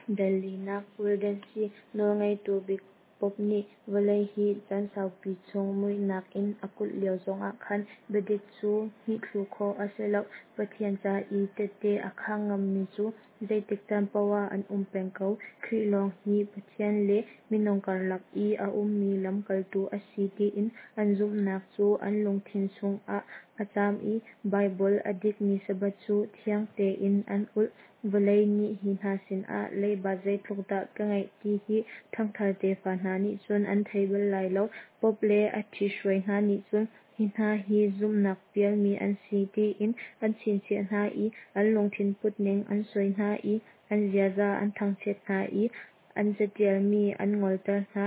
Dal linak, Waldensi nawlngeitu bik Pope nih vawlei hi caan saupi chung muihnak in a kulh lio zongah khan biadik cu hmih thlu khawh a si lo. Pathian ca i tehte a khang ngammi cu zeitik caan paoh ah an um peng ko. Khrih lawng hi Pathian le minung karlak i a ummi lamkaltu a si tiin an zumhnak cu an lungthin chungah a caam i Baibal a dikmi Sabbath cu thiang tein an ulh. Vawlei nih hi hna sinah leiba zeitluk dah ka ngeih ti hi ṭhangthar tefa hna nih cun an thei bal lai lo. Pope le a ṭhihruai hna nih cun hi hna hi zumhnak pialmi an si tiin an chinchiah hna i an lungthin putning an soi hna i an ziaza an thangchiat hna i an catialmi an ngolter hna,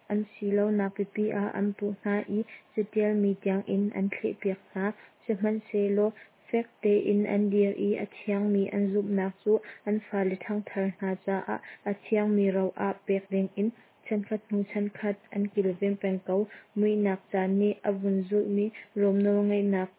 an si lonak pipi ah an puh hna i catialmi tiangin an thlehpiak hna. Sihmanhsehlaw fek tein an dir i a thiangmi an zumhnak cu an fale ṭhangthar hna caah a thiangmi ro ah pek dingin chankhat hnu chankhat an kilven peng ko. Muihnak caan nih a vun zulhmi Rom nawlngeihnak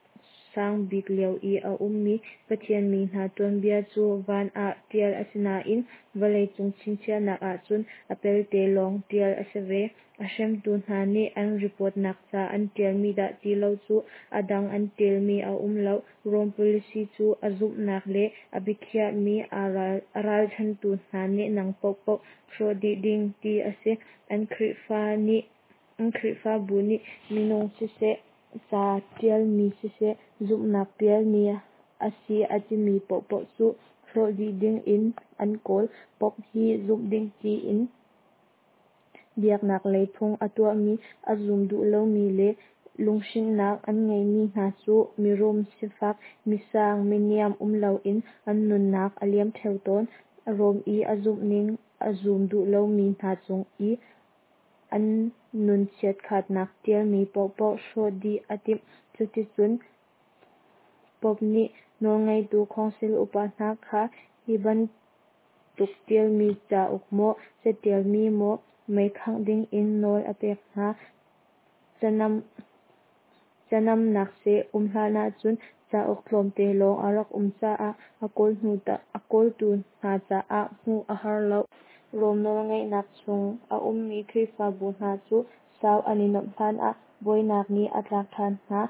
sang bik lio i a ummi Pathian mi hna tuanbia cu van ah ṭial a si nain vawleicung chinchiahnak ahcun a pelte lawng ṭial a si ve. A hremtu hna nih an ripawtnak ca an ṭialmi dah ti lo cu a dang an ṭialmi a um lo. Rom policy cu a zumhnak le a biakhiahmi a ralchantu hna nehnang paohpaoh hrawh dih ding ti a si. An Khrihfabu nih minung siseh, ca ṭialmi siseh, zumhnak pialmi a si a timi paohpaoh cu hrawh dih ding in an kawl. Pope hi zumh ding tiin biaknak lei phung a tuahmi a zum duh lomi le lunghrinnak an ngeimi hna cu mirum, sifak, misang, miniam um loin an nunnak a liam ṭheo tawn. Rom i a zumhning a zum duh lomi hna cung i an nun chiatkhatnak ṭialmi paohpaoh hrawh dih a timh. Cuticun Pope nih nawlngeitu khawngsil upa hna kha hi bantuk ṭialmi cauk maw, catialmi maw mei khangh dingin nawl a pek hna. Canamnak seh um hlan ahcun cauk tlawmte lawng a rak um caah a kawltu hna caah hmuh a har lo. Rom nawlngeihnak chung a ummi Khrihfabu hna cu sau an i nuamh hlanah buainak nih a tlak ṭhan hna.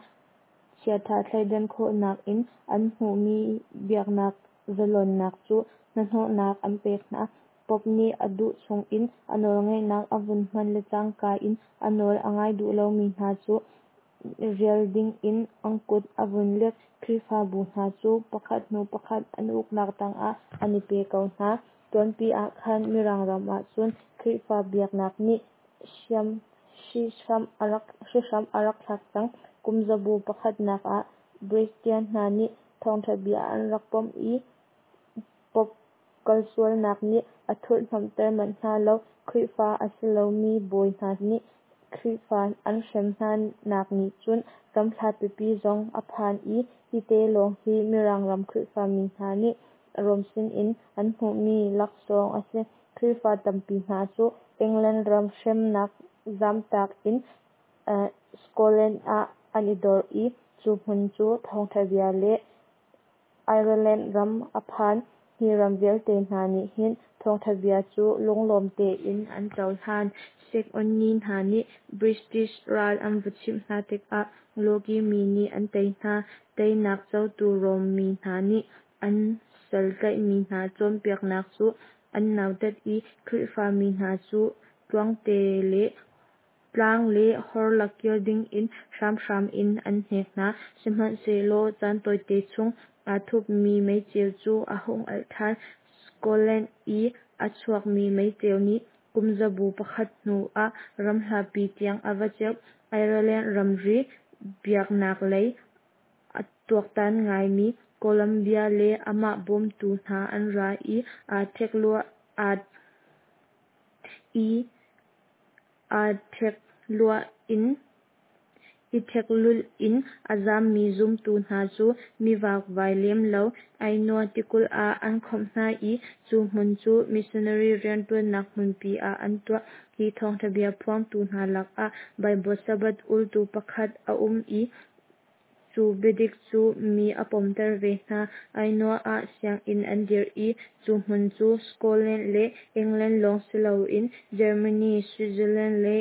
Chiaṭha thleidan khawhnak in an hmuhmi biaknak zalonnak cu hnahnawhnak an pek hna. Pope nih a duh chungin a nawlngeihnak a vun hman le cangka in a nawl a ngai duh lomi hna cu rial dingin an kut a vun lek. Khrihfabu hna cu pakhat hnu pakhat an uknak tangah an i pe ko hna. Tuanpi ah khan Mirang ram ahcun Khrihfa biaknak nih hrihhram a rak thlak cang. Kumzabu pakhatnak ah Bristian hna nih thawngṭha bia an rak pom i Pope kalsualnak nih a thurhhnawmhter manh hna lo. Khrihfa a si lomi bawi hna nih Khrihfa an hrem hnanak nih cun ram hlat pipi zong a phan i hite lawng hi Mirang ram Khrihfa mi hna nih Rom sinin an hmuhmi laksawng a si. Khrihfa tampi hna cu England ram hremnak zamtak in Scotland ah an i dor i cu hmun cu thawngṭha bia le Ireland ram a phan. Hi ram vialte hna nih hin thawngṭha bia cu lunglawm tein an cohlan. Saxony hna nih British ral an va chimh hna tikah Loki mi nih an tei hna. Teinak cotu Rom mi hna nih an sal tlaihmi hna cawnpiaknak cu an nautat i Khrihfa mi hna cu tlang le hor lak kir dingin hramhram in an hnek hna. Sihmanhsehlaw caan tawite chung aa thupmi meiceu cu a hung alh ṭhan. Scotland i a chuakmi meiceu nih kumzabu pakhat hnu ah ram hlapi tiang a va ceuh. Ireland ramri biaknak lei a tuaktan ngaimi Columbia le amah bawmtu hna an ra i aa ṭheklulh in a zammi zumtu hna cu mi vakvai lem lo Ainua tikulh ah an khawmh hna i cu hmun cu missionary rianṭuannak hmunpi ah an tuah. Hi thawngṭha bia phuangtu hna lakah Baibal Sabbath ultu pakhat a um i. Cu biadik cu mi a pomter ve hna. Ainua ah sianginn an dirh i cu hmun cu Scotland le England lawng siloin Germany, Switzerland le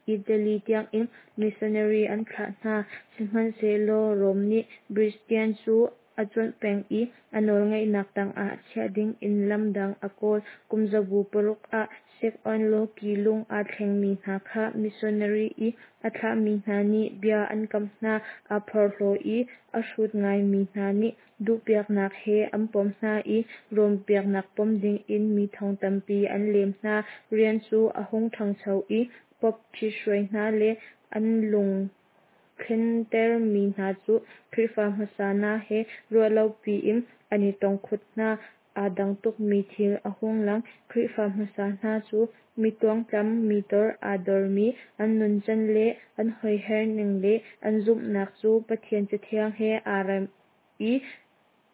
Italy tiangin missionary an thlah hna. Sihmanhsehlaw Rom nih Britain cu a cuanh peng i a nawlngeihnak tangah chiah dingin lam dang a kawl. Kum zabu paruk ah Sekoin-lawki lung aa thlengmi hna kha missionary i a thlahmi hna nih bia an kamh hna. Aa phorhlaw i a hrut ngaimi hna nih duhpiaknak he an pom hna i Rom biaknak pom dingin mi thong tampi an lem hna. Rian cu a hung ṭhangcho i Pope ṭhithruai hna le an lung thlentermi hna cu Khrihfa hmasa hna he ruahlopi in an i tong khut hna. Aa dang tukmi thil a hung lang. Khrihfa hmasa hna cu mi tluangtlam, mi tor aa dormi, an nuncan le an hoiher ning le an zumhnak cu Pathian Cathiang he aa rem i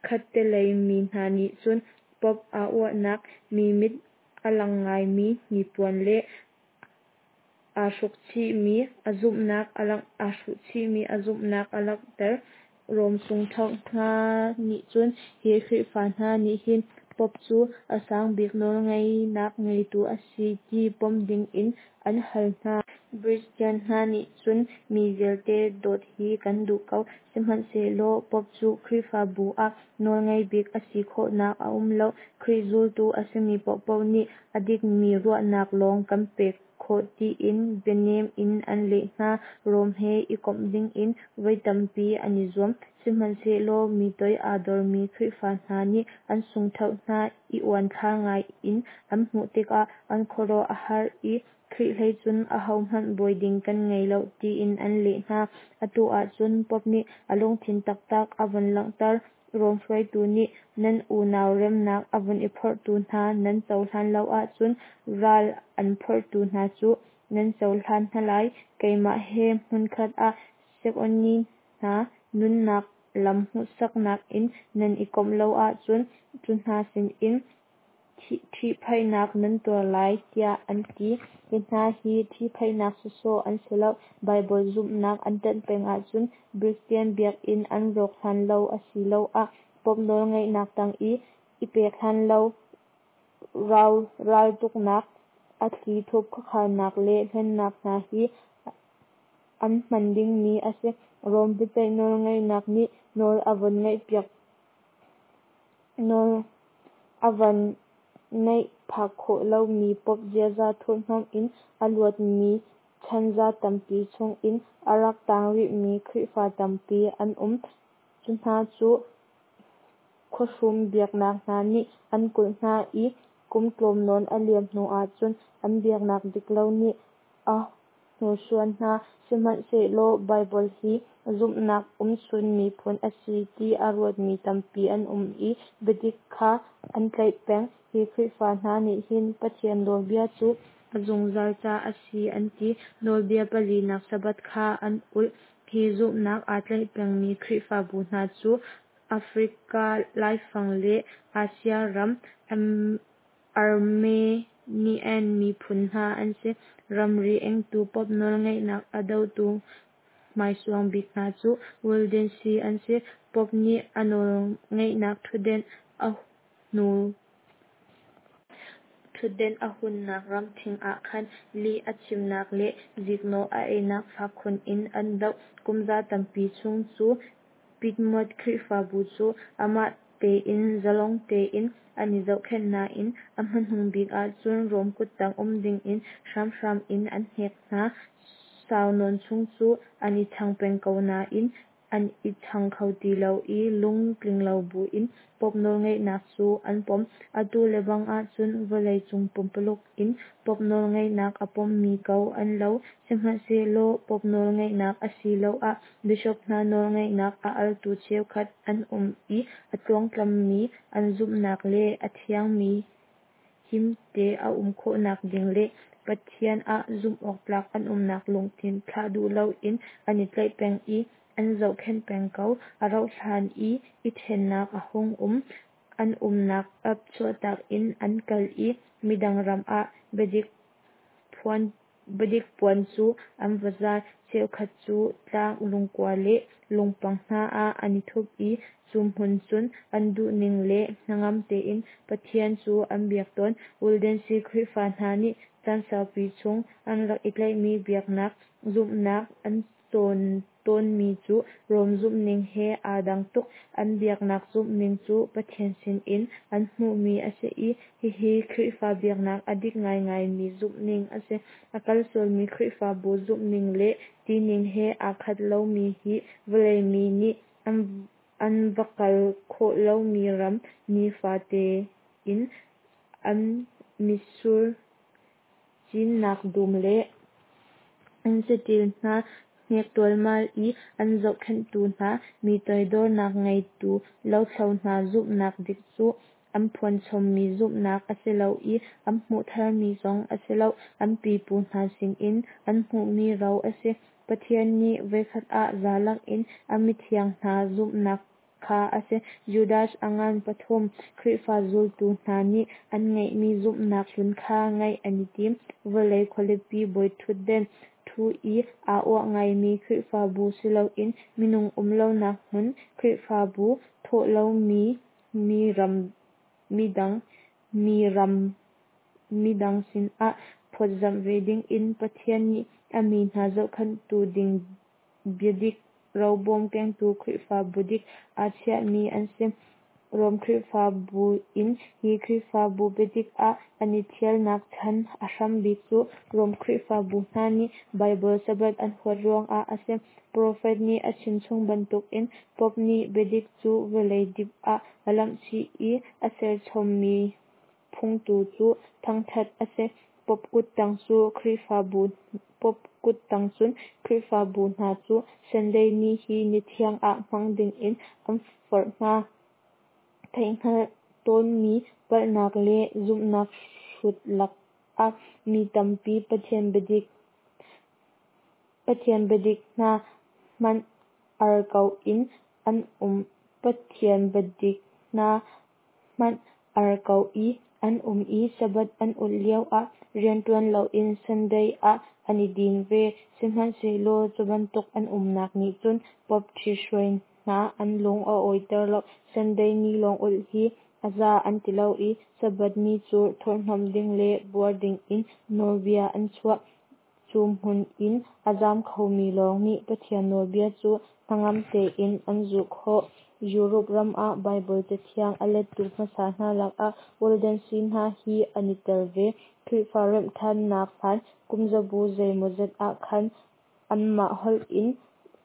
khattelei mi hna nih cun Pope aa uahnak, mi mit a lang ngaimi hnipuan le aa hrukchihmi a zumhnak a langh aa hruhchihmi a zumhnak a langhter. Rom sungthoh hna nih cun hi Khrihfa hna nih hin Pope cu a sang bik nawlngeihnak ngeitu a si ti pom dingin an hal hna. Bristian hna nih cun mi vialte dawt hi kan duh ko, sihmanhsehlaw Pope cu Khrihfabu ah nawlngei bik a si khawhnak a um lo. Khrih zultu a simi paohpaoh nih a dikmi ruahnak lawng kan pek khawh tiin bianem in an leh hna. Rom he i komh dingin voi tampi an i zuam. Sihmanhsehlaw mi toi aa dormi Khrihfa hna nih an sungthoh hna i uanthlar ngai in an hmuh tikah an khuaruah a har i Khrih hlei cun ahohmanh bawi ding kan ngei lo tiin an leh hna. Atu ahcun Pope nih a lungthin taktak a vun langhter. Rom hruaitu nih nan unau remnak a vun i phorhtu hna nan cohlan lo ahcun ral an phorhtu hna cu nan cohlan hna lai. Keimah he hmunkhat ah Sekoini hna nunnak lam hmuhsaknak in nan i komh lo ahcun cu hna sinin ṭhihphaihnak nan tuar lai, tiah an ti. Hi hna hi ṭhihphaihnak sawsawh an si lo. Baibal zumhnak an ṭanh peng ahcun Bristian biakinn an rawk hlan lo asiloah Pope nawlngeihnak tang i i pek hlan lo raltuknak, a thlithup khuakhannak le hlennak hna hi an hman dingmi a si. Rom biaceih nawlngeihnak nih nawl a von ngeihpiak nawl a van neih phak khawh lomi Pope ziaza thurhnawm in a luatmi chanza tampi chungin a rak tang rihmi Khrihfa tampi an um. Cu hna cu khuahrum biaknak hna nih an kulh hna i kum tlawm nawn a liam hnu ahcun an biaknak diklo nih a hnursuan hna. Sihmanhsehlaw Baibal hi zumhnak umchun miphun a si ti a ruatmi tampi an um i biadik kha an tlaih peng. Hi Khrihfa hna nih hin Pathian nawlbia cu a zungzal ca a si an ti. Nawlbia palinak Sabbath kha an ulh. Hi zumhnak aa tlaih pengmi Khrihfabu hna cu Africa laifang le Asia ram Armenian miphun hna an si. Ramri engtu Pope nawlngeihnak a dotu hmaisuang bik hna cu Waldensi an si. Pope nih a nawlngeihnak ṭhutdenh a hnu ṭhutdenh a hunnak ram ṭhing ah khan lih a chimnak le ziknawh a einak fak khun in an doh. Kumza tampi chung cu Piedmont Khrihfabu cu amah tein zalong tein an i zohkhenh nain a hmanung bik ahcun Rom kuttang um dingin hramhram in an hnek hna. Sau nawn chung cu an i chang peng ko nain an i chang kho ti lo i lungtling lo buin Pope nawlngeihnak cu an pom. Atu lebang ahcun vawleicung pumpuluk in Pope nawlngeihnak a pommi ko an lo. Sihmanhsehlaw Pope nawlngeihnak asiloah bishop hna nawlngeihnak a altu cheukhat an um i a tluangtlammi an zumhnak le a thiangmi himte a um khawhnak ding le Pathian ah zumhawktlak an umnak lungthin thlah duh loin an i tlaih peng i an zohkhenh peng ko. A rauhhlan i i ṭhennak a hung um. An umnak Alps chuahtak in an kal i midang ram ah biadik phuan. Biadik puan cu an va zar. Cheukhat cu tlang lungkua le lungpang hna ah an i thup i cu hmun cun an duhning le hnangam tein Pathian cu an biak tawn. Waldensi Khrihfa hna nih caan saupi chung an rak i tlaihmi biaknak zumhnak an cawn tawnmi cu Rom zumhning he aa dang tuk. An biaknak zumhning cu Pathian sinin an hmuhmi a si i hihi Khrihfa biaknak a dik ngaingaimi zumhning a si. A kal sualmi Khrihfabu zumhning le tining he aa khat lomi hi vawlei mi nih an va kal khawh lomi ram, nifate in an mitsur cinnak dum le an saṭil hna hnek ṭualmal i an zohkhenhtu hna, mi toidornak ngeitu lothlo hna zumhnak dik cu an phuanchommi zumhnak a si lo i an hmuh tharmi zong a si lo, an pipu hna sinin an hmuhmi ro a si. Pathian nih voikhat ah za lakin a mithiang hna zumhnak kha a si. Judas a ngan pathum Khrihfa zultu hna nih an ngeihmi zumhnak hlun kha ngeih an i tim. Vawlei khualipi bawiṭhutden ṭhu i aa uah ngaimi Khrihfabu si loin minung um lonak hmun Khrihfabu, thawh lomi mi ram midang sinah phawtzamh ve dingin Pathian nih a mi hna zohkhenhtu ding biadik robawm kengtu Khrihfabu dik aa chiahmi an si. Rom Khrihfabu in hi Khrihfabu biadik ah an i ṭhialnak chan a hram bik cu Rom Khrihfabu hna nih Baibal Sabbath an huat ruangah a si. Profet nih a chimchung bantukin Pope nih biadik cu vawlei dip ah a lamhchih i a serchommi phungtu cu thangṭhat a si. Pope kuttang cun Khrihfabu hna cu Sunday ni hi ni thiang ah hmang dingin an forh hna. Theihhngalh tawnmi palhnak le zumhnak hrut lakah mi tampi Pathian biadik hna hmanh ar ko in an um Pathian biadik hna hmanh ar ko i an um i Sabbath an ulh lioah rianṭuan loin Sunday ah an i din ve. Sihmanhsehlaw cu bantuk an umnak nih cun Pope ṭhithruai hna an lung a awiter lo. Sunday ni lawng ulh hi a za an ti lo i Sabbath ni cu thurhhnawmh ding le buar dingin nawlbia an chuah. Cu hmun in a zam khomi lawng nih Pathian nawlbia cu hnangam tein an zulh khawh. Europe ram ah Baibal Cathiang a lettu hmasa hna lakah Waldensi hna hi an i tel ve. Khrihfa remhṭhannak hlan kumzabu zeimawzat ah khan anmah holh in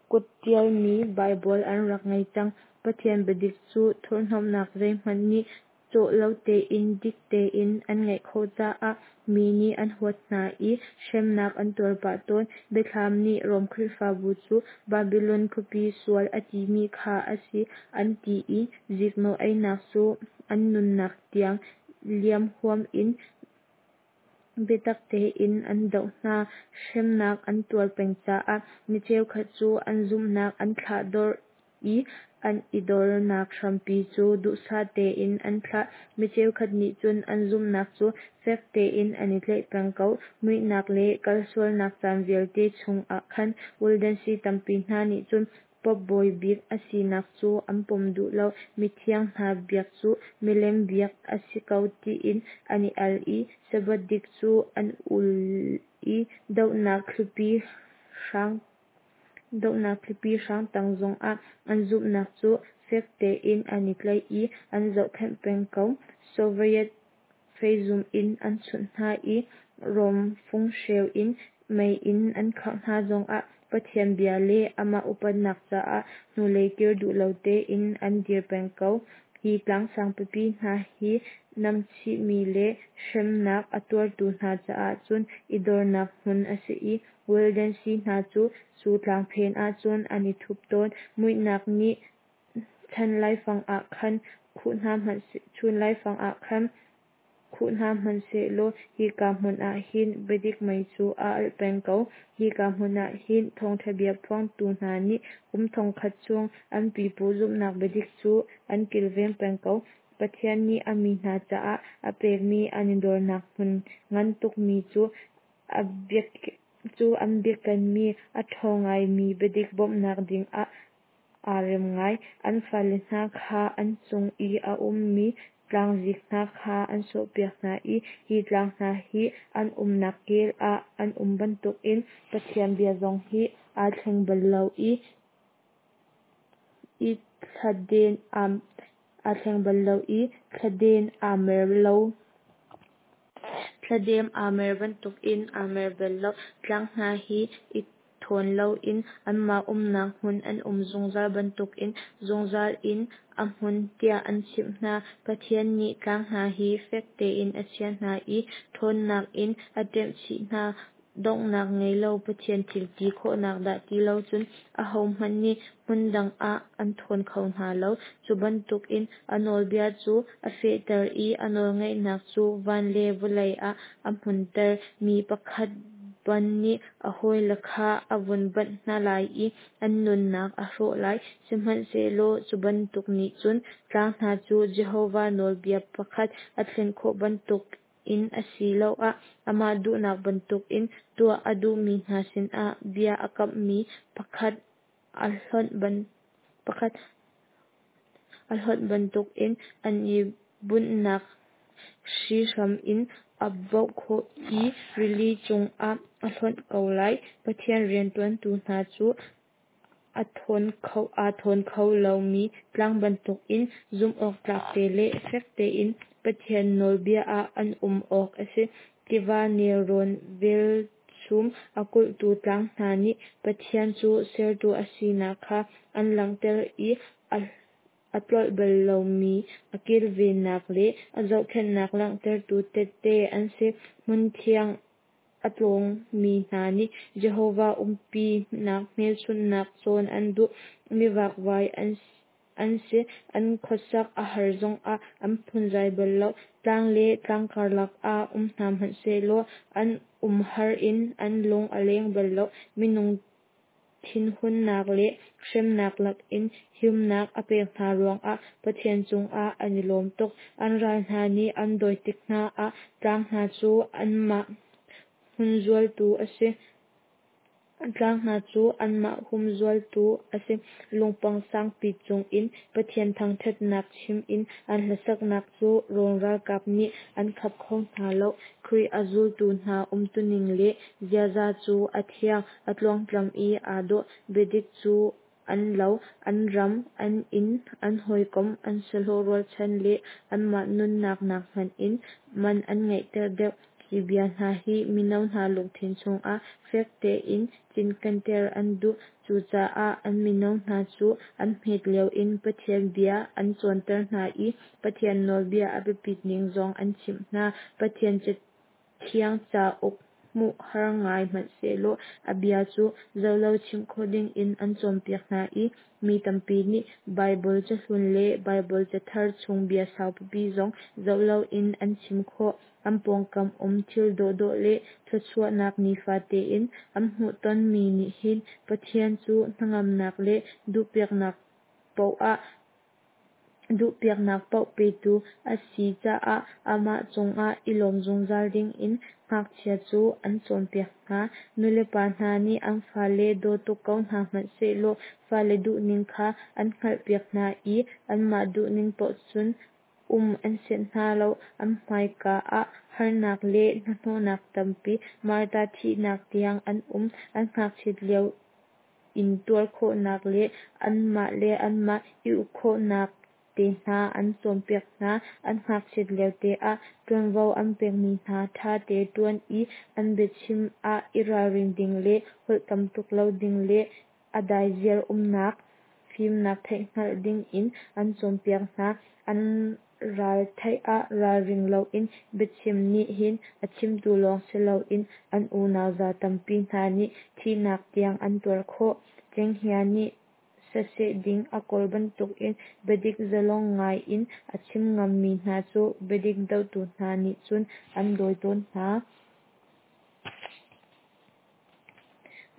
kutṭialmi Baibal an rak ngei cang. Pathian biadik cu thurhhnawmhnak zeihmanh nih cawh lo tein dik tein an ngeih khawh caah mi nih an huat hna i hremnak an tuar pah tawn. Biathlam nih Rom Khrihfabu cu Babilon khuapi sual a timi kha a si an ti i ziknawh einak cu an nunnak tiang liam huam in biatak tein an doh hna. Hremnak an tuar peng caah mi cheukhat cu an zumhnak an thlahdorh i an i dornak hrampi cu duhsah tein an thlah. Mi cheukhat nih cun an zumhnak cu fek tein an i tlaih peng ko. Muihnak le kalsualnak caan vialte chungah khan Waldensi tampi hna nih cun Pope bawi bik a sinak cu an pom duh lo. Mithiang hna biak cu milem biak a si ko tiin an i al i Sabbath dik cu an ul i dohnak thlipi hrang tang zongah an zumhnak cu fek tein an i tlaih i an zohkhenh peng ko. Soviet feizum in an chunh hna i Rom funghreu in mei in an khangh hna zongah Pathian bia le amah upatnak caah hnulei kir duh lo tein an dir peng ko. Hi tlangsang pipi hna hi namchihmi le hremnak a tuartu hna caah cun i dornak hmun a si i Waldensi hna cu cu tlang phen ahcun an i thup tawn. Muihnak nih chan laifang ah khan khuh hna hmanhsehlaw hika hmun ah hin biadik mei cu a alh peng ko. Hika hmun ah hin thawngṭha bia phuangtu hna nih kum thongkhat chung an pipu zumhnak biadik cu an kilveng peng ko. Pathian nih a mi hna caah a pekmi an i dornak hmun ngan tukmi cu Cu an biakenmi a ṭhawng ngaimi biadik bawmhnak dingah aa rem ngai. An fale hna kha an cung i a ummi tlangzik hna kha an sawhpiak hna i hi tlang hna hi an umnak kel ah an um bantukin Pathian bia zong hi aa thleng bal lo i thladem aa mer lo. Thladem aa mer bantukin aa mer bal lo. Tlang hna hi i thawn loin anmah umnak hmun an um zungzal bantukin zungzal in a hmun tiah an chimh hna. Pathian nih tlang hna hi fek tein a chiah hna i ṭhawnnak in a ṭemhchih hna. Donghnak ngei lo Pathian thil ti khawhnak dah ti lo cun ahohmanh nih hmun dang ah an thawn kho hna lo. Cu bantukin a nawlbia cu a fehter i a nawlngeihnak cu van le vawlei ah a hmunhter. Mi pakhat ban nih a hawile kha a vun banh hna lai i an nunnak a hrawh lai, sihmanhsehlaw cu bantuk nih cun tlang hna cu Jehovah nawlbia pakhat a thlen khawh bantukin asiloah amah duhnak bantukin tuah a duhmi hna sinah bia a kamhmi pakhat a hlonh bantukin an i bunhnak hrihhram in a baoh khawh i rili chungah a hlonh ko lai. Pathian rianṭuantu hna cu aa thawn kho lomi tlang bantukin zumhawktlak te le fek tein Pathian nawlbia ah an um awk a si. Tiva nelrawn velchum a kulhtu tlang hna nih Pathian cu sertu a sinak kha an langhter i a tlolh bal lomi a kilvennak le a zohkhenhnak langhtertu tehte an si. Hmunthiang a tlawngmi hna nih Jehovah umpinak hmelchunhnak cawn an duh. Mivakvai an si, an khuasak a har zongah an phunzai bal lo. Tlang le tlang karlak ah um hna hmanh sehlaw an umhar in an lung a leng bal lo. Minung thinhunnak le hremnak lakin himnak a pek hna ruangah Pathian cungah an i lawm tuk. An ral hna nih an dawi tik hna ah tlang hna cu anmah humzualtu a si. Tlang hna cu anmah humzualtu a si. Lungpang sangpi cungin Pathian thangṭhatnak chim in an hlasaknak cu Rom ralkap nih an khap kho hna lo. Khrih a zultu hna umtuning le ziaza cu a thiang, a tluangtlam i aa dawh. Biadik cu an lo, an ram, an inn, an hawikom, an sahlawh rualchan le anmah nunnak nakhmanh in man an ngeihter deuh. Hi bia hna hi mino hna lungthin chungah fek tein cinkenter an duh. Cucaah an mino hna cu an hmet lio in Pathian bia an cawnter hna i Pathian nawlbia a biapit ning zong an chimh hna. Pathian Cathiang cauk hmuh har ngai hmanhsehlaw a bia cu zohlo chim khawh dingin an cawnpiak hna i mi tampi nih Baibal cahlun le Baibal cathar chung bia saupipi zong zoh loin an chim khawh. An pawngkam um thil dawhdawh le thluachuahnak nifa tein an hmuhtonmi nih hin Pathian cu hnangamnak le duhpiaknak paoh petu a si caah amah cungah i lawm zungzal dingin ngakchia cu an cawnpiak hna. Nulepa hna nih an fale daw tuk ko hna hmanh sehlaw fale duhning kha an hngalhpiak hna i anmah duhning paoh cun um an sianh hna lo. An hmaika ah harnak le hnahnawhnak tampi, martar thihnak tiang an um. An ngakchiat lio intuar khawhnak le anmah le anmah i uk khawhnak te hna an cawnpiak hna. An ngakchiat lio te ah ṭuanvo an pekmi hna ṭha te ṭuan i an biachim ah i ralrin ding le holh tam tuk lo ding le a daiziar umnak fimnak theihhngalh dingin an cawnpiak hna. An ral theih ah ralring loin biachim nih hin a chimtu lawng si loin an unau za tampi hna nih thihnak tiang an tuar khawh. Cenghngia nih saseh ding a kawl bantukin biadik zalong ngai in a chim ngammi hna cu biadik dohtu hna nih cun an dawi tawn hna.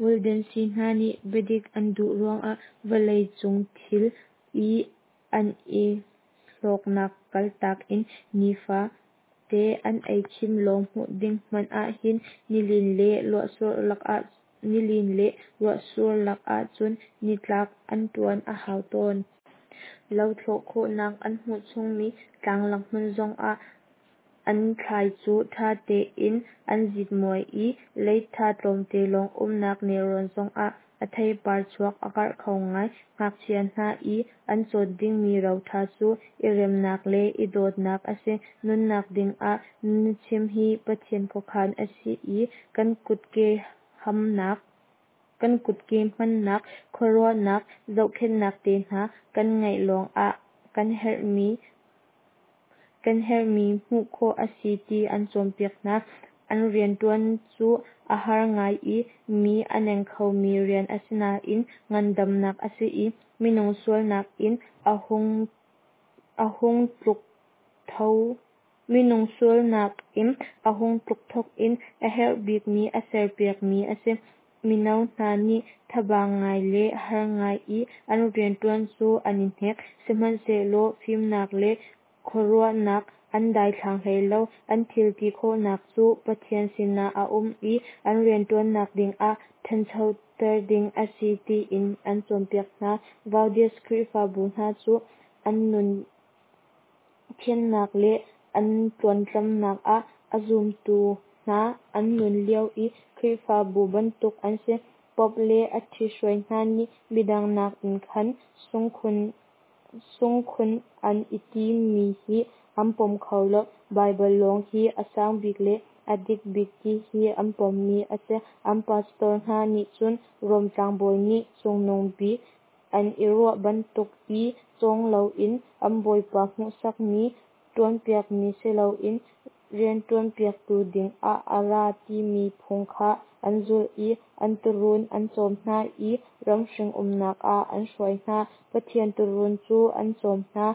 Waldensi hna nih biadik an duh ruangah vawlei cung thil i an i hlawknak kaltak in nifa. Te an ei khim lawng hmuh ding hmanh ahhin nilin le ruahsur lak ahcun nitlak an ṭuan a hau tawn. Lo thlawh khawhnak an hmuh chungmi tlanglak hmun zongah an thlai cu ṭha tein an zitmuai i leitha tlawmte lawng umnak nelrawn zongah a theipar chuak a karh kho ngai. Ngakchia hna i an cawn dingmi roṭha cu i remnak le i dawtnak a si. Nunnak dingah nuchim hi Pathian khuakhan a si i kan kutke hmannak, khuaruahnak, zohkhenhnak te hna kan ngeih lawngah kan herhmi hmuh khawh a si ti an cawnpiak hna. An rianṭuan cu a har ngai i mi a neng khomi rian a si nain ngandamnak a si i minung sualnak in a hung tluk thawk in a herh bikmi a serpiakmi a si. Mino hna nih thaba ngai le har ngai i an rianṭuan cu an i hnek, sihmanhsehlaw fimnak le khuaruahnak an daithlang hlei lo. An thil ti khawhnak cu Pathian sinah a um i an rianṭuannak dingah ṭhanchoter ding a si tiin an cawnpiak hna. Vaudes Khrihfabu hna cu an nun thiannak le an tluangtlamnak ah a zumtu hna an nun lio i Khrihfabu bantuk an si. Pope le a ṭhithruai hna nih midang nakin kan sungkhun an i timi hi an pom kho lo. Baibal lawng hi a sang bik le a dik bik ti hi an pommi a si. An pastor hna nih cun Rom tlangbawi nih cungnung bik an i ruah bantuk i cawng loin an bawipa hmuhsakmi ṭuanpiakmi si loin rianṭuanpiaktu dingah a ra timi phung kha an zulh i an tuurun an cawm hna i ramhring umnak ah an hruai hna. Pathian tuurun cu an cawm hna,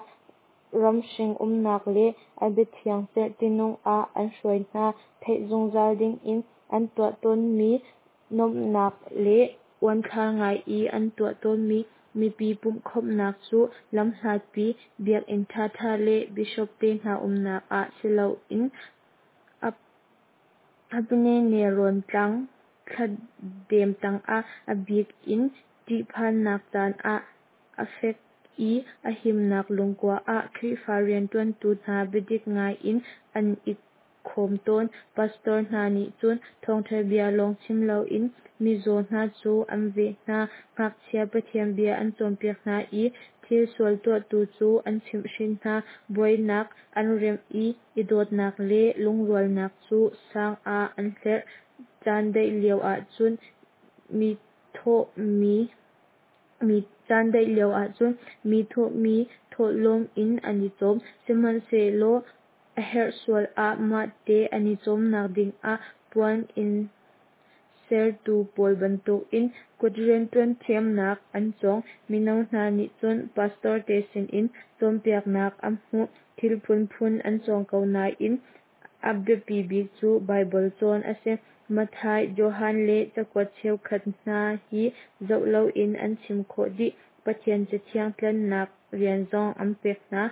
ramhring umnak le a biathiang cerhti nung ah an hruai hna. Theih zungzal dingin an tuah tawnmi nuamhnak le uanthlar ngai i an tuah tawnmi mipi pumhkhawmhnak cu lamhlatpi biakinn ṭhaṭha le bishop te hna umnak ah si loin Apennine nelrawn tlang thladem tangah, a bik in ṭihphannak caan ah a fek i a himnak lungkua ah Khrihfa rianṭuantu hna biadik ngai in an i khawm tawn. Pastor hna nih cun thawngṭha bia lawng chim loin mizaw hna cu an veh hna, ngakchia Pathian bia an cawnpiak hna i thil sual tuahtu cu an chimhhrin hna. Buainak an remh i i dawtnak le lungrualnak cu sang ah an hlerh. Caan daih lio ahcun mi thawhmi thawhlawm in an i cawm, sihmanhsehlaw a herh sual ah mahte an i cawmnak dingah puan inn sertu pawl bantukin kut rianṭuan thiamnak an cawng. Mino hna nih cun pastor te sinin cawnpiaknak an hmuh. Thil phunphun an cawng ko nain a biapi bik cu Baibal cawn a si. Matthai, Johan le cakuat cheukhat hna hi zoh loin an chim khawh dih. Pathian Cathiang tlennak rian zong an pek hna.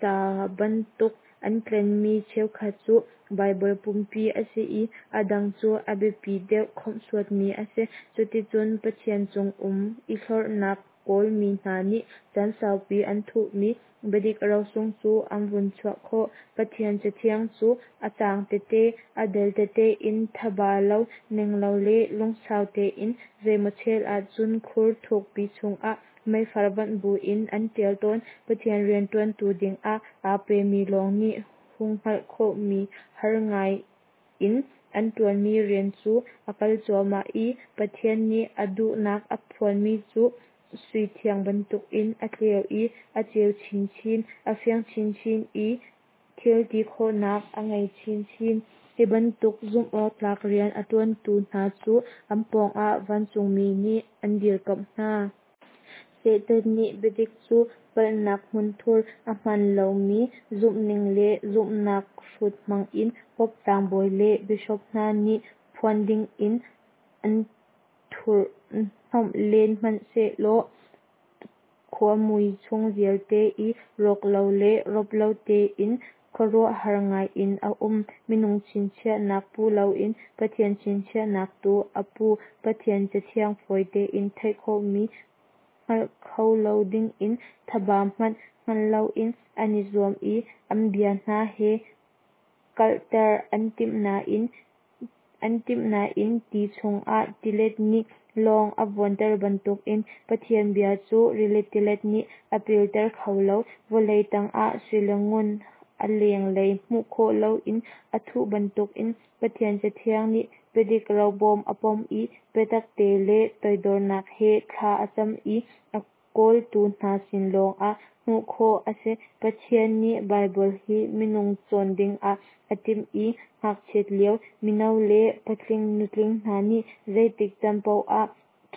Ca bantuk an tlenmi cheukhat cu Baibal pumpi a si i a dang cu a biapi deuh khawmhsuatmi a si. Cuticun Pathian chung um i hlorhnak kawlmi hna nih caan saupi an thuhmi biadik rosung cu an vun chuah khawh. Pathian Cathiang cu a caang tete, a dal tete in thaba lo, ning lo le lungsau tein zeimaw chel ahcun khur thukpi chungah meifar vanh buin an ṭial tawn. Pathian rianṭuantu dingah aa pemi lawng nih hung hngalh khawhmi har ngai in an ṭuanmi rian cu a kal cuahmah i Pathian nih a duhnak a phuanmi cu sui thiang bantukin a tleu i a ceu chinchin, a fiang chinchin i thil ti khawhnak a ngei chinchin. Hi bantuk zumhawktlak rian a ṭuantu hna cu an pawngah vancungmi nih an dirkamh hna. Satan nih biadik cu palhnak hmunthur, a hmaan lomi zumhning le zumhnak hrut hmangin Pope tlangbawi le bishop hna nih phuan dingin an thurhhnawmh len hmanhsehlaw khuamui chung vialte i rawk lo le rop lo tein. Khuaruahhar ngai in a um. Minung chinchiahnak pu loin Pathian chinchiahnak tu a pu. Pathian Cathiang fawi tein theih khawhmi hngalh kho lo dingin thaba hmanh hngan loin an i zuam i an bia hna he kalhter an timh nain ti chungah tilet nih lawng a vuanter bantukin Pathian bia cu rili tilet nih a pilter kho lo. Vawlei tangah sui le ngun a lenglei hmuh khawh loin a thuh bantukin Pathian Cathiang nih biadik robawm a pom i biatak te le toidornak he thla a cam i a kawltu hna sin lawngah hmuh khawh a si. Pathian nih Baibal hi minung cawn dingah a timh i ngakchiat lio, mino le patling nutling hna nih zeitik caan paoh ah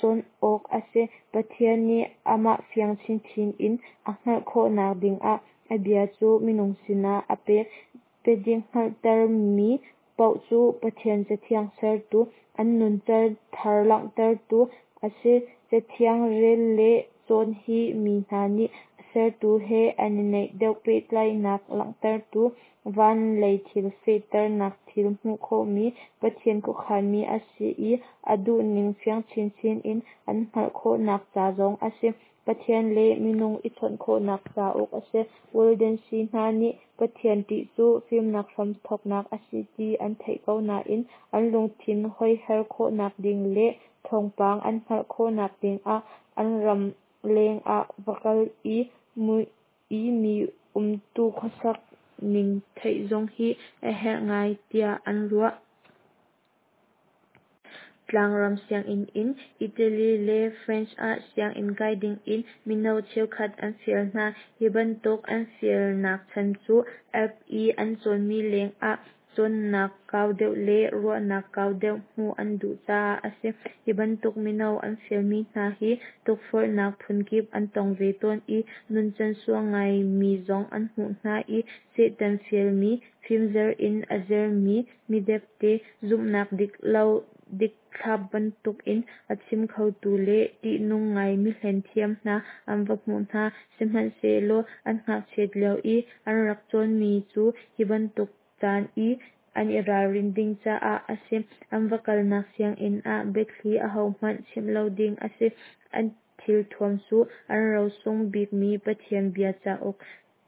cawn awk a si. Pathian nih amah fiang chinchin in a hngalh khawhnak dingah a bia cu minung sinah a pek. Biadik hngalhtermi paoh cu Pathian Cathiang sertu, an nuncan thar langhtertu a si. Cathiang rel le cawn hi mi hna nih a sertu he an i naih deuh pehtlaihnak langhtertu, van lei thil fehternak thil hmuh khawhmi, Pathian khuakhanmi a si i a duhning fiang chinchin in an hngalh khawhnak ca zong a si. Pathian le minung i chawnh khawhnak cauk a si. Waldensi hna nih Pathian ṭih cu fimnak hramthawknak a si ti an theih ko nain an lungthin hoiher khawhnak ding le thawngpang an hngalh khawhnak dingah an ram leng ah va kal i mi umtu khuasak ning theih zong hi a herh ngai tiah an ruah. Tlangram sianginn in Italy le French ah sianginn kai dingin mino cheukhat an fial hna. Hi bantuk an fialnak chan cu Alp i an cawnmi lengah cawnnak kau deuh le ruahnak kau deuh hmuh an duh caah a si. Hi bantuk mino an fialmi hna hi tukforhnak phunkip an tong ve tawn i nuncan sual ngaimi zong an hmuh hna i Satan fialmi, fimzer in a zermi, midepde, zumhnak dik lo dikthla bantukin a chim khotu le ṭihnung ngai mihlen thiam hna an va hmuh hna. Sihmanhsehlaw an ngakchiat lio i an rak cawnmi cu hi bantuk caan i an i ralrin ding caah a si. An va kalnak sianginn ah biathli ahohmanh chimh lo ding a si. An thilthuam cu an rosung bikmi Pathian bia cauk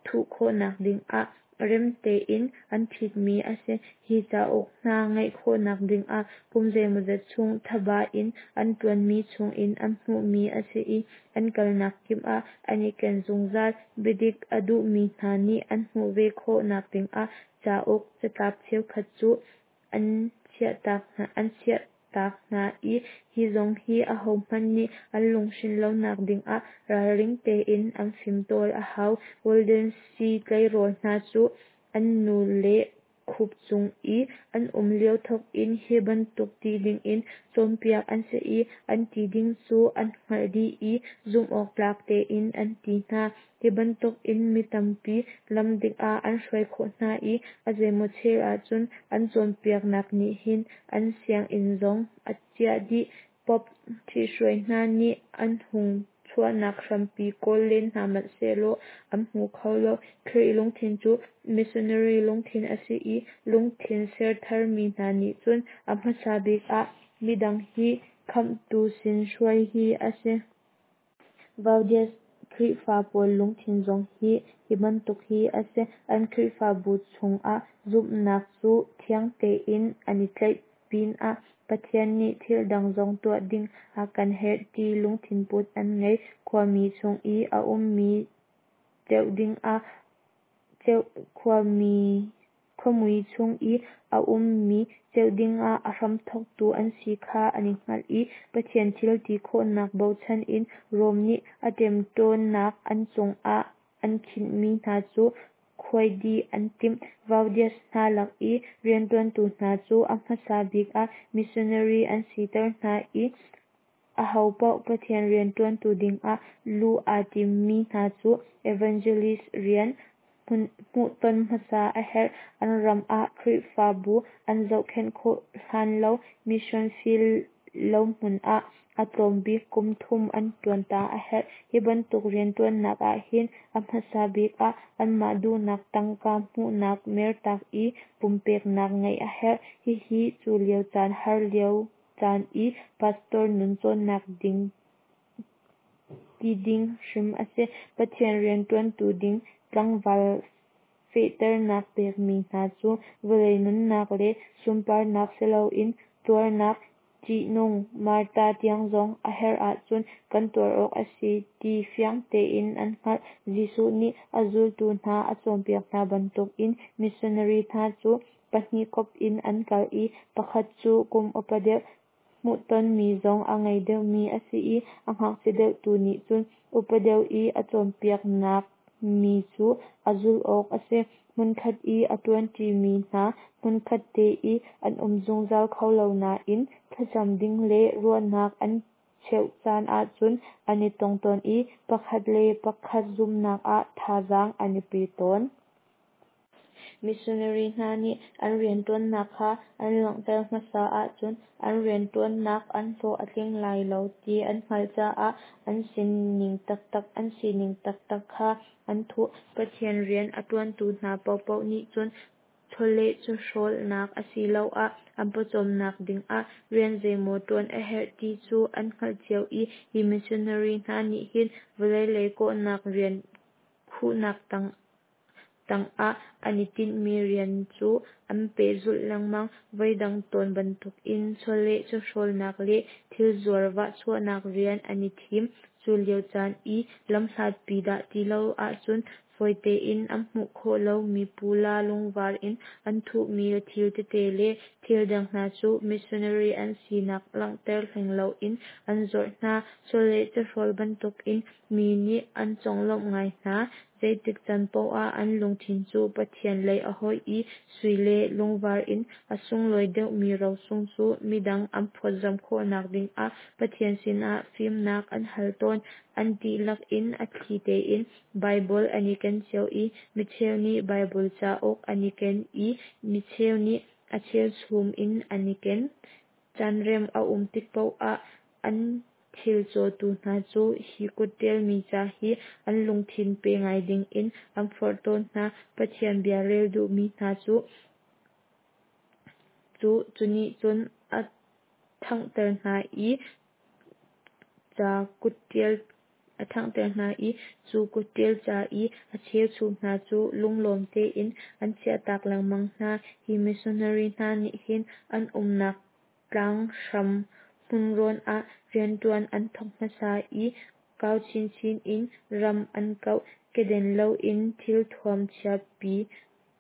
thuh khawhnak dingah rem tein an ṭhitmi a si. Hi cauk hna ngeih khawhnak dingah kum zeimawzat chung thaba in an ṭuanmi chungin an hmuhmi a si i an kalnak kip ah an i ken zungzal. Biadik a duhmi hna nih an hmuh ve khawhnak dingah cauk catlap cheukhat cu an chiahtak hna i hi zong hi ahohmanh nih an lunghrin lonak dingah ralring tein an fimtawl a hau. Waldensi tleirawl hna cu an nu le khup cung i an um lio thawkin hi bantuk ti dingin cawnpiak an si i an ti ding cu an hngalh dih i zumhawktlak tein an ti hna. Hi bantukin mi tampi lam dik ah an hruai khawh hna i a zeimaw chel ahcun an cawnpiaknak nih hin an sianginn zong a ciah dih. Pope ṭhithruai hna nih an hung chuahnak hrampi kawl len hna hmanhsehlaw an hmu kho lo. Khrih lungthin cu missionary lungthin a si i lungthin sertharmi hna nih cun a hmasa bik ah midang hi Khamhtu sin hruai hi a si. Vaudes Khrihfa pawl lungthin zong hi hi bantuk hi a si. An Khrihfabu chungah zumhnak cu thiang tein an i tlaih pinah Pathian nih thil dang zong tuah ding a kan herh ti lungthin put an ngei. Khuami chung i a ummi ceuh dingah khuamui chung i a ummi ceuh dingah a hramthawktu an si kha an i hngalh i Pathian thil ti khawhnak bochan in Rom nih a ṭemṭawnnak an cungah an khinhmi hna cu khuai dih an timh. Vaudes hna lak i rianṭuantu hna cu a hmasa bik ah missionary an siter hna i ahopaoh Pathian rianṭuantu dingah luh aa timmi hna cu evangelist rian hmuhton hmasa a herh. An ram ah Khrihfabu an zohkhenh khawh hlan lo mission field lohmun ah a tlawm bik kum thum an ṭuan ta a herh. Hi bantuk rianṭuannak ahhin a hmasa bik ah anmah duhnak tangka hmuhnak mertak i pumpeknak ngeih a herh. Hihi cu lio caan har lio caan i pastor nun cawnnak ding ti ding hrim a si. Pathian rianṭuantu ding tlangval fehternak pekmi hna cu vawlei nunnak le sunparnak siloin tuarnak ṭihnung martar tiang zong a herh ahcun kan tuar awk a si ti fiang tein an hngalh. Jesuh nih a zultu hna a cawnpiak hna bantukin missionary hna cu pahnih kawp in an kal i pakhat cu kum upa deuh, hmuhtonmi zong a ngei deuhmi a si i a ngakchia deuh tu nih cun upa deuh i a cawnpiaknak mi cu a zulh awk a si. Hmunkhat i a ṭuanṭimi hna hmunkhat te i an um zungzal kho lo nain thlacam ding le ruahnak an cheuh caan ahcun an i tong tawn i pakhat le pakhat zumhnak ah thazaang an i pe tawn. Missionary hna nih an rianṭuannak kha an langhter hmasa ahcun an rianṭuannak an hlawh a tling lai lo ti an hngalh caah an sining taktak kha an thuh. Pathian rian a ṭuantu hna paohpaoh nih cun chawleh chawhrawlnak asiloah an pawcawmnak dingah rian zeimaw ṭuan a herh ti cu an hngalh cio i hi missionary hna nih hin vawlei lei kawhnak rian khuhnak tangah an i tinhmi rian cu an pehzulh lengmang. Voidang tawn bantukin chawleh chawhrawlnak le thilzuar vahchuahnak rian an i thim. Cu lio caan i lamhlatpi dah ti lo ahcun fawi tein an hmuh khawh lomi pula lungvar in an thuhmi thil tete le thil dang hna cu missionary an sinak langhter hleng loin an zuarh hna. Chawleh chawhrawl bantukin mi nih an conglawmh ngai hna. Zeitik caan paoh ah an lungthin cu Pathian lei a hoih i sui le lungvar in a sunglawi deuhmi rosung cu midang an phawtzamh khawhnak dingah Pathian sinah fimnak an hal tawn. An dihlak in a thli tein Baibal an i ken cio i micheu nih Baibal cauk an i ken i micheu nih a cheuchum in an i ken. Caanrem a um tik paoh ah an thil cawtu hna cu hi kutṭialmi ca hi an lungthin pe ngai dingin an forh tawn hna. Pathian bia rel duhmi hna cu cu nih cun a ṭhanghter hna i ca kutṭial a ṭhanghter hna i cu kutṭial ca i a cheuchum hna cu lunglawm tein an chiahtak lengmang hna. Hi missionary hna nih hin an umnak tlanghram hmunrawn ah rianṭuan an thawk hmasa i kau chinchin in ram an kauh. Keden loin thilthuam chiapi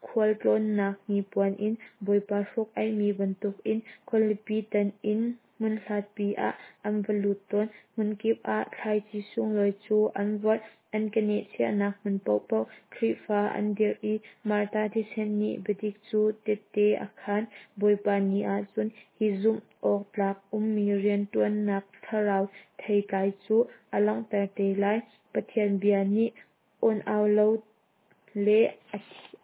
khualtlawnnak hnipuan in Bawipa hruk-aihmi bantukin khualipi tan in hmunhlatpi ah an va lut tawn. Hmunkip ah thlaici sunglawi cu an vorh. An keneh chiahnak hmun paohpaoh Khrihfa an dirh i Martar thisen nih biadik cu tette a khaan. Bawipa ni ahcun hi zumh awk tlak ummi rianṭuannak thlarau theitlai cu a langhter te lai. Pathian bia nih awn-au lo le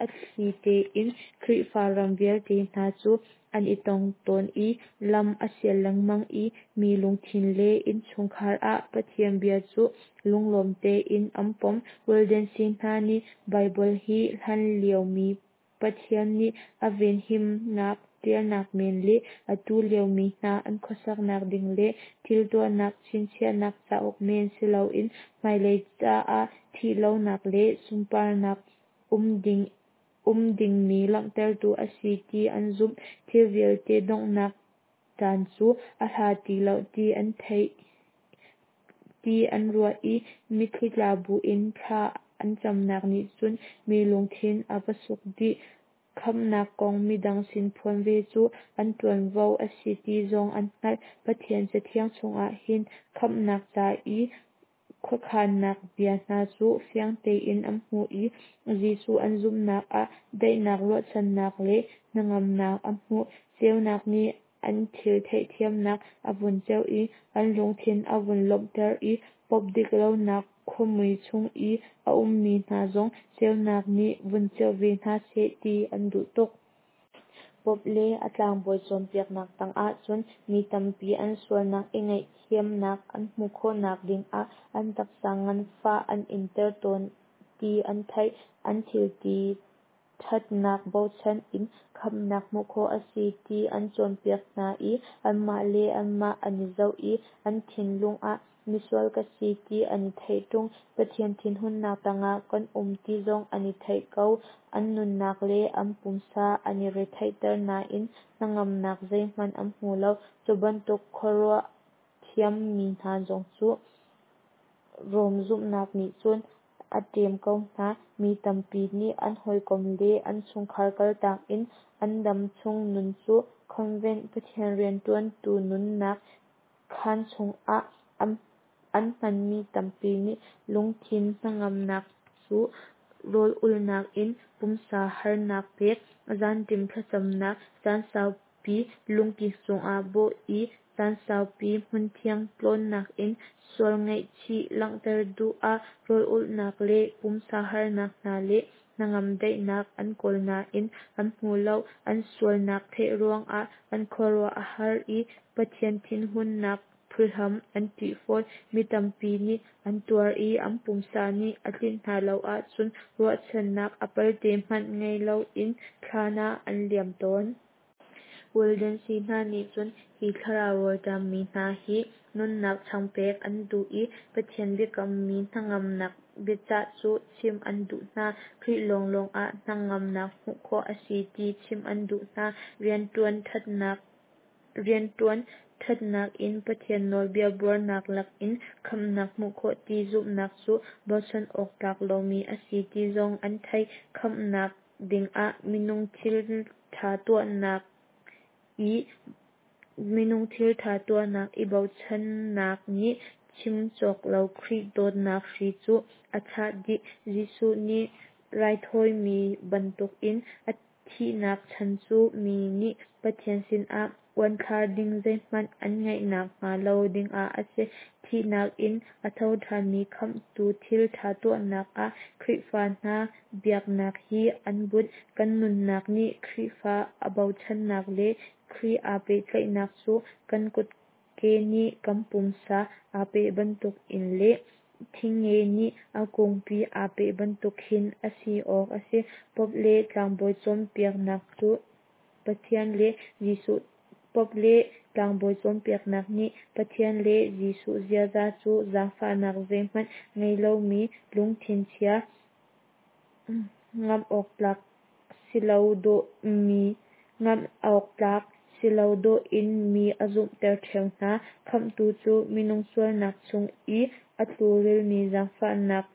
a thli tein Khrihfa ram vialte hna cu an i tong tawn i lam a sial lengmang i mi lungthin le innchungkhar ah Pathian bia cu lunglawm tein an pom. Waldensi hna nih Baibal hi hlan liomi Pathian nih a venhimnak ṭialnak men le atu liomi hna an khuasaknak ding le thil tuahnak chinchiahnak cauk men si loin hmailei caah thihlonak le sunparnak um dingmi langhtertu a si ti an zumh. Thil vialte donghnak caan cu a hla ti lo ti an theih ti an ruah i mitthli tla buin thla an camnak nih cun mi lungthin a va suk dih. Khamhnak kong midang sin phuan ve cu an ṭuanvo a si ti zong an hngalh. Pathian Cathiang chungah hin khamhnak ca i khuakhannak bia hna cu fiang tein an hmuh i Jesuh an zumhnak ah daihnak, ruahchannak le hnangamnak an hmuh. Ceunak nih an thil theihthiamnak a vun ceuh i an lungthin a vun lawmhter i pop dik lonak khuamui chung i a ummi hna zong ceunak nih vun ceuh ve hna seh ti an duh tuk. Pope le a tlangbawi cawnpiaknak tangah cun mi tampi an sualnak i ngaihthiamnak an hmuh khawhnak dingah an taksa nganfah an inter tawn ti an theih. An thilti ṭhatnak bochan in khamhnak hmuh khawh a si ti an cawnpiak hna i anmah le anmah an i zoh i an thinlung ah misual ka si ti an i theih ṭung, Pathian thinhunnak tangah kan um ti zong an i theih ko. An nunnak le an pumsa an i retheihter nain hnangamnak zeihmanh an hmu lo. Cu bantuk khuaruah thiam mi hna zong cu Rom zumhnak nih cun a ṭem ko hna. Mi tampi nih an hawikom le an chungkhar kaltak in an dam chung nun cu convent Pathian rianṭuantu nunnak khaan chungah an hmanmi tampi nih lungthin hnangamnak cu rawl ulhnak in pumsa harnak pek, zanṭim thlacamnak, caan saupi lungkik cungah bawh i caan saupi hmunthiang tlawnnak in sual ngaihchih langhter duh ah rawl ulhnak le pumsa harnak hna le hnangam daihnak an kawl nain an hmu lo. An sualnak theih ruangah an khuaruah a har i Pathian thinhunnak phuhlam an ṭih fawn. Mi tampi nih an tuar i an pumsa nih a tlinh hna lo ahcun ruahchannak a pelte hmanh ngei loin thlan ah an liam tawn. Waldensi hna nih cun hi thlarau rawlṭam mi hna hi nunnak changpek an duh i Pathian biakammi hnangamnak biacah cu chimh an duh hna. Khrih lawnglawng ah hnangamnak hmuh khawh a si ti chimh an duh hna. Rianṭuan ṭhatnak in Pathian nawlbia buarnak lakin khamhnak hmuh khawh ti zumhnak cu bochan awk tlak lomi a si ti zong an theih. Khamhnak dingah minung thilṭha tuahnak i bochannak nih chim cawk lo Khrih dawtnak hri cu a chah dih. Jesuh nih raithawimi bantukin a thihnak chan cu mi nih Pathian sinah uanthlar ding zeihmanh an ngeihnak hnga lo dingah a si. Thihnak in a thoṭhanmi Khamhtu thilṭha tuahnak ah Khrihfa hna biaknak hi an bunh. Kan nunnak nih Khrihfa a bochannak le Khrih aa pehtlaihnak cu kan kutke nih kan pumsa aa peh bantukin le thingnge nih a kungpi aa peh bantuk khin a si awk a si. Pope le tlangbawi cawnpiaknak cu Pathian le Jesuh Pope le tlangbawi cawnpiaknak nih Pathian le Jesuh ziaza cu zaangfahnak zeihmanh ngei lomi, lungthin chia, ngamh awk tlak si lo dawh in mi a zumhter ṭheo hna. Khamhtu cu minung sualnak chung i a tlukrilmi zaangfahnak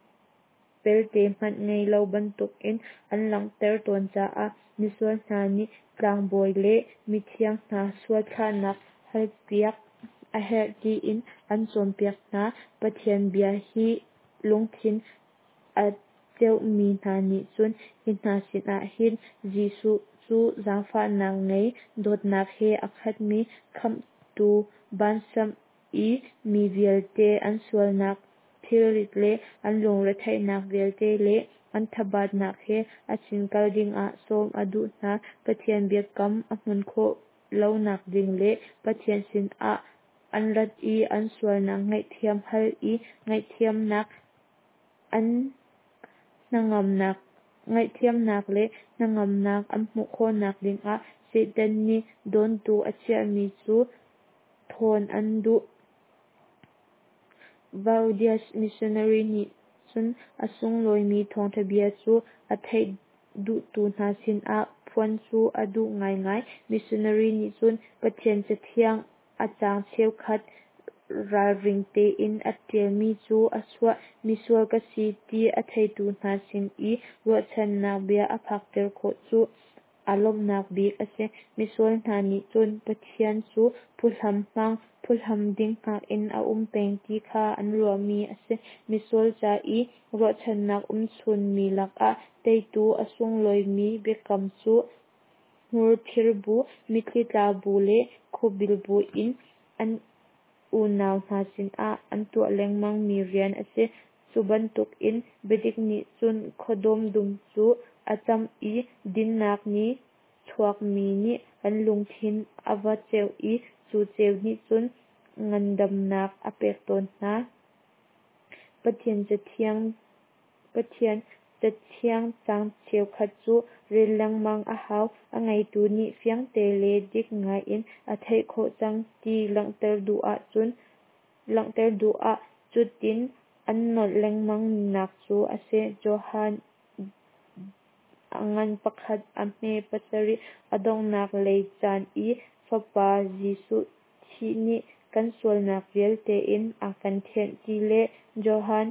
pelte hmanh ngei lo bantukin an langhter tawn caah misual hna nih tlangbawi le mithiang hna sual thlahnak halpiak a herh tiin an cawnpiak hna. Pathian bia hi lungthin a cheuhmi hna nih cun hi hna sinah hin Jesuh cu zaangfahnak ngei, dawtnak he a khatmi Khamhtu vansamh i mi vialte an sualnak thilrit le an lungretheihnak vialte le an thabatnak he a sin kal dingah sawm a duh hna. Pathian biakam a hmun khawh lonak ding le Pathian sinah an rat i an sualnak ngaihthiam hal i ngaihthiamnak le hnangamnak an hmuh khawhnak dingah Satan nih dawntu a chiahmi cu thawn an duh. Vaudies missionary nih cun a sunglawimi thawngṭha bia cu a theih duhtu hna sinah phuan cu a duh ngaingai. Missionary nih cun Pathian Cathiang a caang cheukhat ralring tein a ṭialmi cu a chuah. Misual ka si ti a theitu hna sin i ruahchannak bia a phakter khawh cu aa lawmhnak bik a si. Misual hna nih cun Pathian cu phuhlam hmang, phuhlam ding hngak in a um peng ti kha an ruahmi a si. Misual ca i ruahchannak umchun mi lakah teitu a sunglawimi biakam cu hmurthir bu, mitthli tla bu le khuabil bu in an unau hna sinah an tuah lengmang mi rian a si. Cu bantukin biadik nih cun khuadawm dum cu a camh i dinnak nih chuakmi nih an lungthin a va ceuh i cu ceu nih cun ngandamnak a pek tawn hna. Pathian Cathiang caang cheukhat cu rel lengmang a hau. A ngaitu nih fiangte le dik ngaiin a theih khawh cang ti langhter duh ah cutin an nolh lengmang nak cu a si. Johan a ngan 1 a hme 7, a donghnak lei caan i Fapa Jesuh thih nih kan sualnak vialte in a kan thianh ti le Johan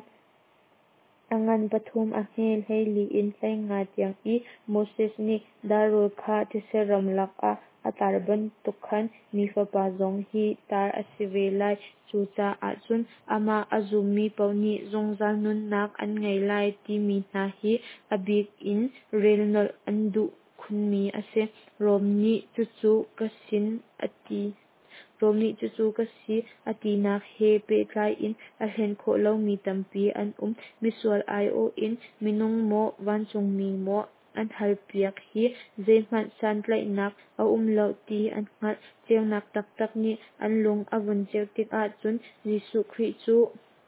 a ngan 3 a hme 14 in 15 tiang i Moses nih dar-rawl kha thetse ram lakah a tar bantuk khan Mi Fapa zong hi tar a si ve lai, cucaah cun amah a zummi paoh nih zungzal nunnak an ngei lai timi hna hi a bik in rel nolh an duh khunmi a si. Rom nih cucu ka si a tinak he pehtlai in a hlen khawh lomi tampi an um. Misual aiawh in minung maw vancungmi maw an halpiak hi zeihmanh santlaihnak a um lo ti an hngalh. Ceunak taktak nih an lung a vun ceuh tikah cun Jesuh Khrih cu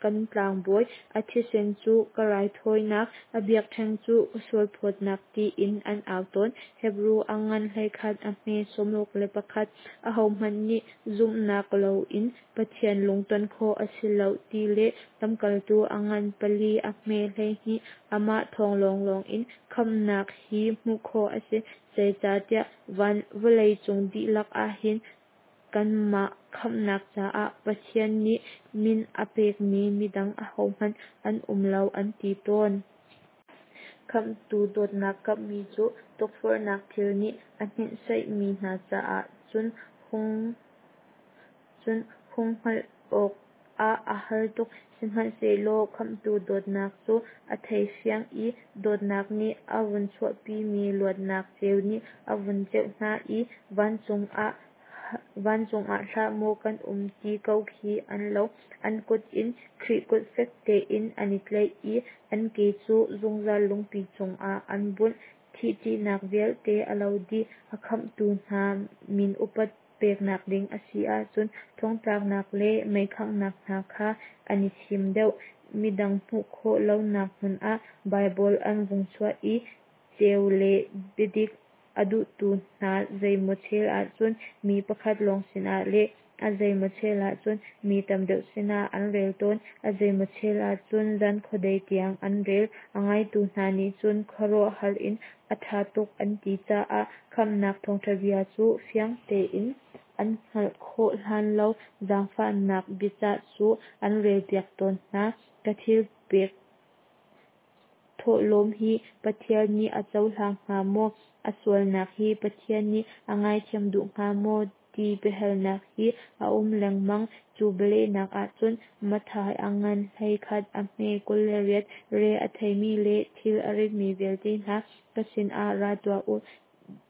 kan tlangbawi, a thisen cu ka raithawinak, a biakṭheng cu ka sualphawtnak tiin an au tawn. Hebru a ngan 11 a hme 61. Ahohmanh nih zumhnak loin Pathian lungton khawh a si lo ti le Lamkaltu a ngan 4 a hme 12. Amah thawng lawnglawng in khamhnak hi hmuh khawh a si, zeicahtiah van vawleicung dihlak ahhin kanmah khamhnak caah Pathian nih min a pekmi midang ahohmanh an um lo an ti tawn. Khamhtu dawtnak kamhmi cu tukforhnak thil nih a hninhsaihmi hna caah cun hung hngalh awk ah a har tuk. Sihmanhsehlaw Khamhtu dawtnak cu a thei fiang i dawtnak nih a vun chuahpimi luatnak ceu nih a vun ceuh hna i vancung ah hlah maw kan um ti ko khi an lo. An kut in Khrih kut fek tein an i tlaih i an ke cu zungzal lungpi cungah an bunh. Thih ṭihnak vialte a lo dih. A khamhtu hna min upat peknak ding a si ahcun thongtlaknak le meikhanghnak hna kha an i thim deuh. Midang hmuh khawh lonak hmun ah Baibal an vung chuah i ceu le biadik a duhtu hna zeimaw chel ahcun mi pakhat lawng sinah le a zeimaw chel ahcun mi tam deuh sinah an rel tawn. A zeimaw chel ahcun zan khuadei tiang an rel. A ngaitu hna nih cun khuaruahhar in a ṭha tuk an ti caah khamhnak thawngṭha bia cu fiang tein an hngalh khawh hlan lo zaangfahnak biacah cu an relpiak tawn hna. Ka thil pek thawhlawm hi Pathian nih a cohlang hnga maw? A sualnak hi Pathian nih a ngaithiam duh hnga maw? Ti biahalnak hi a um lengmang. Cu bialehnak ahcun Matthai a ngan 11 a hme 28, re a theimi le thil a ritmi vialte hna ka sinah ra tuah u,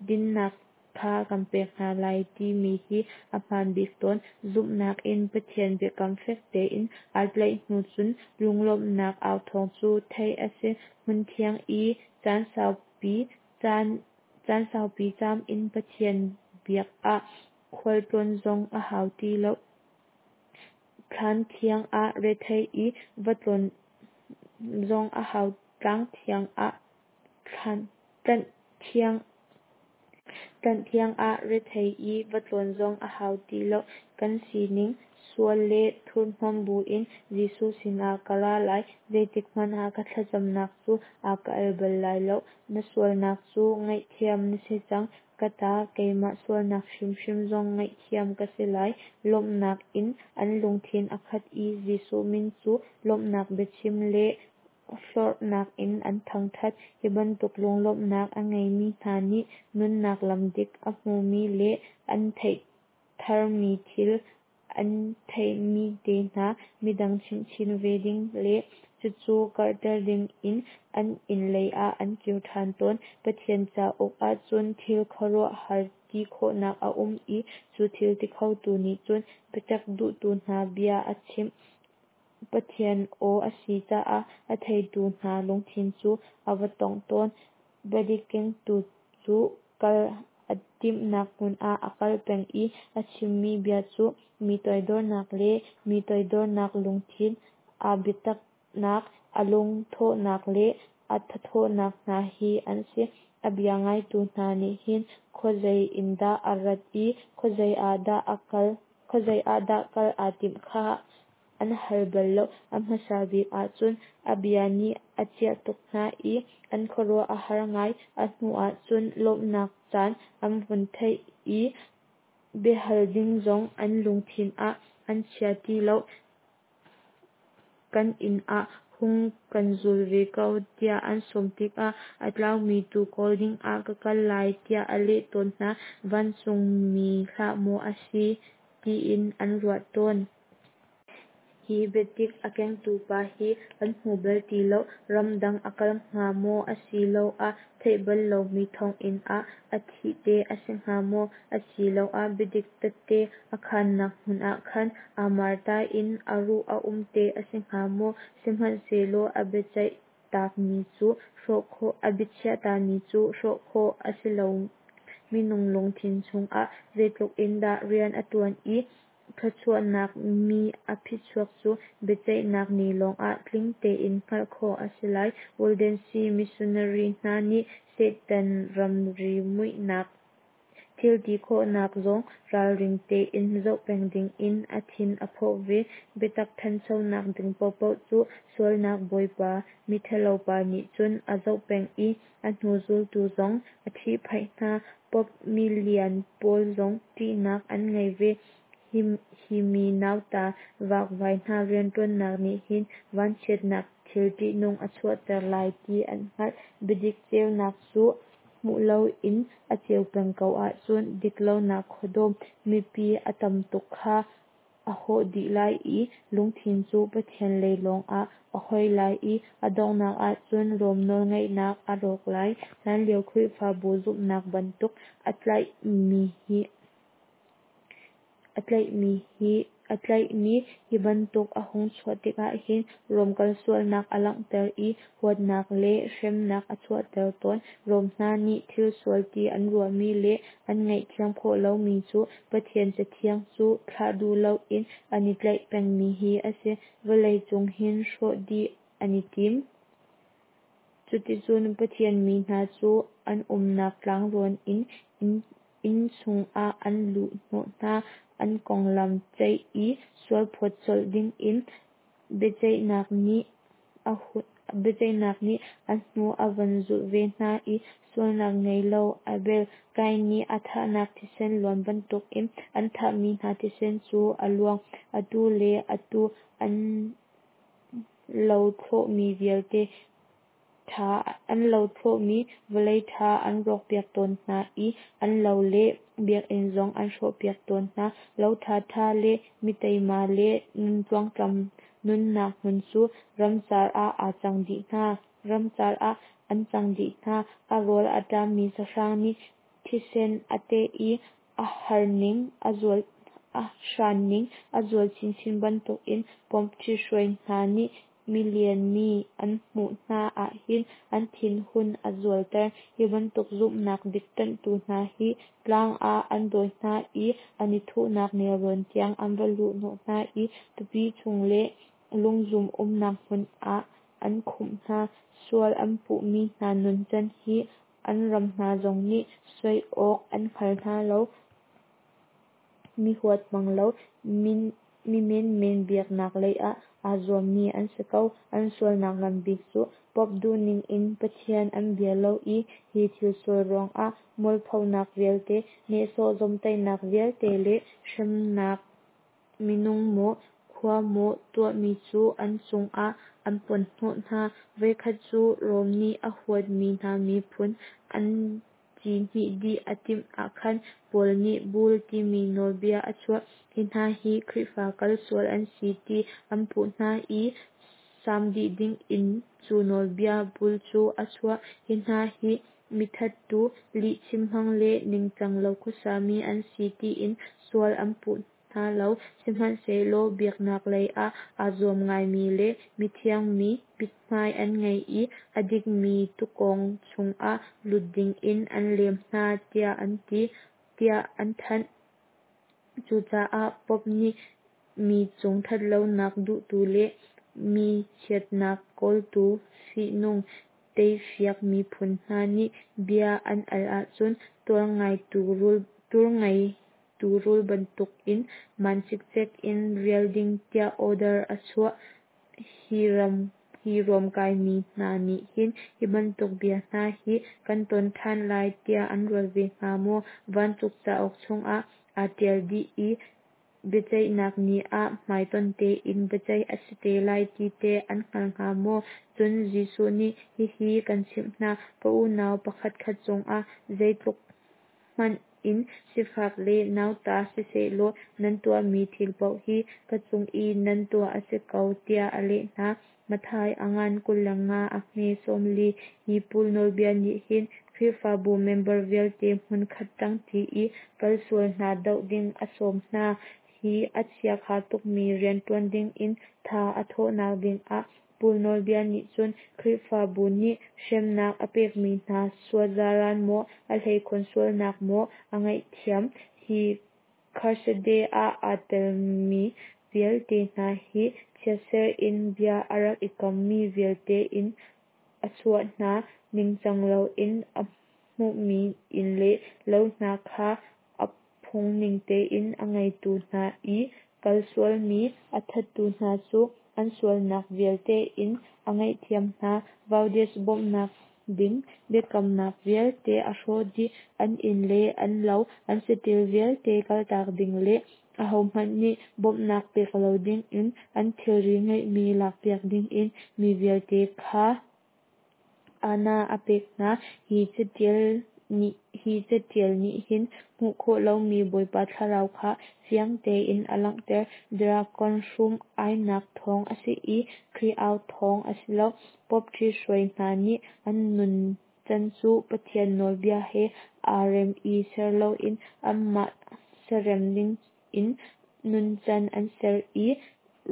dinhnak kha kan pek hna lai timi hi a hmaan bik tawn. Zumhnak in Pathian biakam fek tein aa tlaih hnu cun lunglawmhnak authawng cu theih a si. Hmunthiang i caan saupi caam in Pathian biak ah khualtlawn zong a hau ti lo. Thlan thiang ah rethei i va tlawn zong a hau tlang thiang ah tlanh thiang ah rethei i va tlawn zong a hau ti lo. Kan sining sual le thurhnawm buin Jesuh sinah ka ra lai. Zeitik hmanh ah ka thlacamnak cu a ka al bal lai lo. Na sualnak cu ngaihthiam na si cang. Ka ta, keimah sualnak hrimhrim zong ngaihthiam ka si lai. Lawmhnak in an lungthin a khat i Jesuh min cu lawmhnak biachim le hlorhnak in an thangṭhat. Hi bantuk lunglawmhnak a ngeimi hna nih nunnak lam dik a hmumi le an theih tharmi thil an theihmi te hna midang chimhchin ve ding le cucu karhter ding in an inn lei ah an kir ṭhan tawn. Pathian cauk ahcun thil khuaruahhar ti khawhnak a um i cu thil ti khotu nih cun biatak duhtu hna bia a chimh. Pathian aw a si caah a theitu hna lungthin cu a va tongh tawn. Biadik kengtu cu kal a timhnak hmun ah a kal peng i a chimmi bia cu mi toidornak le mi toidornak lungthin, aa biataknak, a lungthawhnak le a thathawhnak hna hi an si. A bia ngaitu hna nih hin khuazei in dah a rat i khuazei ah dah a kal khuazei ah dah kal aa timh kha an hal bal lo. A hmasa bik ahcun a bia nih a ciah tuk hna i an khuaruah a har ngai. A hnu ahcun lawmhnak caan an vun theih i biahal ding zong an lungthin ah an chia ti lo. Kan inn ah hung kan zul ve ko tiah an sawm tikah a tlaumi tuu kawl dingah ka kal lai tiah a leh tawn hna. Vancungmi hlah maw a si tiin an ruah tawn. Hi biadik a kengtu pa hi kan hmu bal ti lo. Ramdang a kal hnga maw asiloah theih bal lomi thonginn ah a thih te a si hnga maw? Asiloah biadik tette a khannak hmun ah khan aa marta in a ruh a um te a si hnga maw? Sihmanhsehlaw a biaceih takmi cu hrawh khawh a biachiahtami cu hrawh khawh a si lo. Minung lungthin chungah zeitluk in dah rian a ṭuan i thluachuahnak mi a phichuak cu biaceihnak ni lawngah tling tein hngalh khawh a si lai. Waldensi missionary hna nih Satan ramri muihnak thil ti khawhnak zong ralring tein zoh peng dingin a thin a phawh ve. Biatak thanchonak ding paohpaoh cu sualnak bawipa mithalo pa nih cun a zoh peng i a hnu zultu zong a ṭhihphaih hna. Pope milian pawl zong ṭihnak an ngei ve. Hi mi nauta vakvai hna rianṭuannak nih hin vanchiatnak thil ṭihnung a chuahter lai ti an hngalh. Biadik ceunak cu hmuh loin a ceu peng ko ahcun diklonak khuadawm mipi a tam tuk kha a hawh dih lai i lungthin cu Pathian lei lawngah a hoi lai i a donghnak ahcun Rom nawlngeihnak a rawk lai. Hlanlio Khrihfabu zumhnak bantuk a tlaihmi hi a tlaihmi hi a tlaihmi hi bantuk a hung chuah tikah hin Rom kalsualnak a langhter i huatnak le hremnak a chuahter tawn. Rom hna nih thil sual ti an ruahmi le an ngaihthiam khawh lomi cu Pathian Cathiang cu thlah duh loin an i tlaih pengmi hi a si. Vawlei cung hin hrawh dih an i tim. Cuticun Pathian mi hna cu an umnak tlangrawn in inn chungah an luhhnawh hna. An konglam ceih i sualphawt colh dingin biaceihnak nih a biaceihnak nih a hnu a von zulh ve hna i sualnak ngei lo Abel, Kain nih a thahnak thisen luan bantukin an thahmi hna thisen cu a luang. Atu le atu an lothlawhmi vialte ṭha an lothlawhmi vawlei ṭha an rawkpiak tawn hna i an lo le biakinn zong an hrawhpiak tawn hna. Lo ṭhaṭha le mi teima le nun tluangtlam nunnak hmun cu ramcar ah aa cang dih hna. Ramcar ah an cang dih hna. A rawl a ṭammi sahrang nih thisen a teh i a harning a zual a hranning a zual chinchin bantukin Pope ṭhihruai hna nih milian mi an hmuh hna ahhin an thinhun a zualter. Hi bantuk zumhnak dik ṭanhtu hna hi tlang ah an dawi hna i an i thuhnak nelrawn tiang an va luhhnawh hna i tupi chung le lungzum umnak hmun ah an khumh hna. Sual an puhmi hna nuncan hi an ram hna zong nih soi awk an hngal hna lo. Mi huat hmang lo, mi menmen biaknak lei ah aa zuammi an si ko. An sualnak ngan bik cu Pope duhning in Pathian an bia lo i hi thil sual ruangah mualphonak vialte, nehsawh zawmhtaihnak vialte le hremnak minung maw, khua maw tuahmi cu an cungah an ponhnawh hna. Voikhat cu Rom nih a huatmi hna miphun an ci hmih dih a timh ahkhan Paul nih Bull timi nawlbia a chuah. Hi hna hi Khrihfa kal sual an si ti an puh hna i saam dih dingin cu nawlbia Bull cu a chuah. Hi hna hi mithattu, lihchim hmang le ningcang lo khuasami an si tiin sual an puh hna. hna lo. Sihmanhsehlaw biaknak lei ah aa zuam ngaimi le mithiang mi mithmai an ngei i a dikmi tuukawng chungah lut dingin an lem hna tiah an ti, tiah an thanh. Cucaah Pope nih mi cung thatlonak duhtu le mi chiatnak kawltu fihnung teifiak miphun hna nih bia an al ahcun tuar ngeitu rul bantukin maan cikcek in rial ding tiah order a chuah. Hi ruamkaimi hna nih hin hi bantuk bia hna hi kan ton ṭhan lai tiah an ruat ve hnga maw? Vancung cauk chungah aa ṭial dih i biaceihnak ni ah hmaitonh tein biaceih a si te lai ti teh an hngal hnga maw? Cun Jesuh nih, Hihi kan chimh hna, ka unau pakhatkhat cungah zeitluk hmanh in sifak le nauta sisehlaw nan tuahmi thil paoh hi ka cung i nan tuah a si ko, tiah a leh hna. Matthai a ngan 25 a hme 40. Hi Paul nawlbia nih hin Khrihfabu member vialte hmunkhat ṭangṭi i kalsual hna doh ding a sawm hna. Hi a chiakha tukmi rian ṭuan dingin tha a thawhnak dingah Paul nawlbia nih cun Khrihfabu nih hremnak a pekmi hna sualzaran maw, a hleikhun sualnak maw a ngaihthiam. Hi crusade ah aa telmi vialte hna hi chiatser in bia a rak i kammi vialte in a chuah hna, ningcang loin a hmuhmi inn le lo hna kha a phung ning tein a ngeitu hna i kalsualmi a thattu hna cu an sualnak vialte in a ngaihthiam hna. Valdez bawmhnak ding biakamnak vialte a hrawh dih, an inn le an lo, an saṭil vialte kaltak ding le ahohmanh nih bawmhnak pek lo dingin an thilri ngeihmi lakpiak dingin mi vialte kha aana a pek hna. Hi caṭial nih hin hmuh khawh lomi Bawipa Thlarau kha fiang tein a langhter. Drakon hrum-ainak thawng a si i Khrih au thawng a si lo. Pope ṭhithruai hna nih an nuncan cu Pathian nawlbia he aa rem i ser loin anmah siarem ning in nuncan an ser i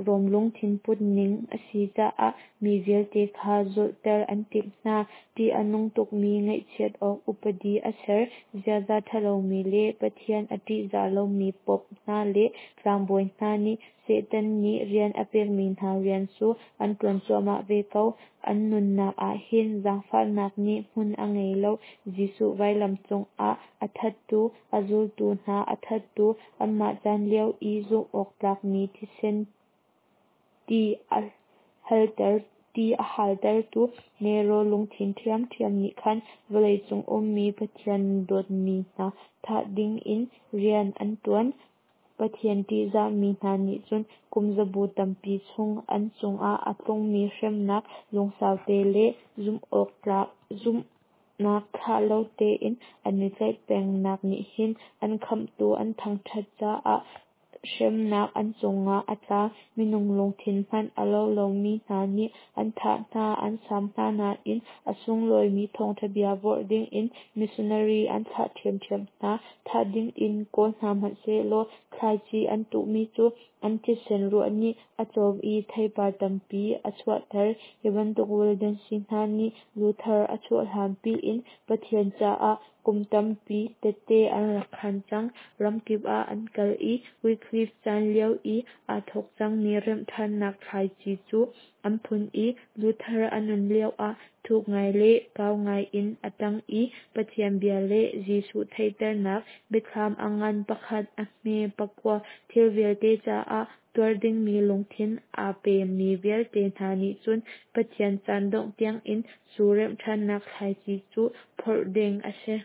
Rom lungthin put ning a si caah mi vialte kha zulhter an timh hna. Ṭih a nung tukmi ngaihchiat awk upadi a ser. Ziaza ṭhalomi le Pathian a ṭihzah lomi pope hna le tlangbawi hna nih Satan nih rian a pekmi hna rian cu an ṭuan cuahmah ve ko. An nunnak ah hin zaangfahnak nih hmun a ngei lo. Jesuh vailam cungah a thattu, a zultu hna a thattu, anmah caan lio i zumh awk tlakmi thisen ti a haltertu Nero lungthin ṭhiamṭhiam nih khan vawleicung ummi Pathian dawtmi hna thah dingin rian an ṭuan. Pathian ṭihzahmi hna nih cun kumzabu tampi chung an cungah a tlungmi hremnak lungsau te le zumhnak thlah lo tein an i tlaih pengnak nih hin an Khamhtu an thangṭhat caah hremnak an cungah a tla. Minung lungthin hmanh a lo lomi hna nih an thah hna, an saam hna nain a sunglawimi thawngṭha bia vorh dingin missionary an thlah ṭhiamṭhiam hna. Thah dingin kawl hna hmanhsehlaw thlaici an tuhmi cu an thisen ruah nih a cawm i theipar tampi a chuahter. Hi bantuk Waldensi hna nih Luther a chuah hlanpi in Pathian caah kum tampi tehte an rak khaan cang. Ramkip ah an kal i Wycliffe caan lio i aa thawk cangmi remhṭhannak thlaici cu an phun i Luther a nun lioah thuk ngai le kau ngai in a ṭang i Pathian bia le Jesuh theihternak biathlam a ngan pakhat, a hme pakua, thil vialte caah tuar dingmi lungthin aa pemi vialte hna nih cun Pathian caan dongh tiangin cu remhṭhannak thlaici cu phorh ding a si.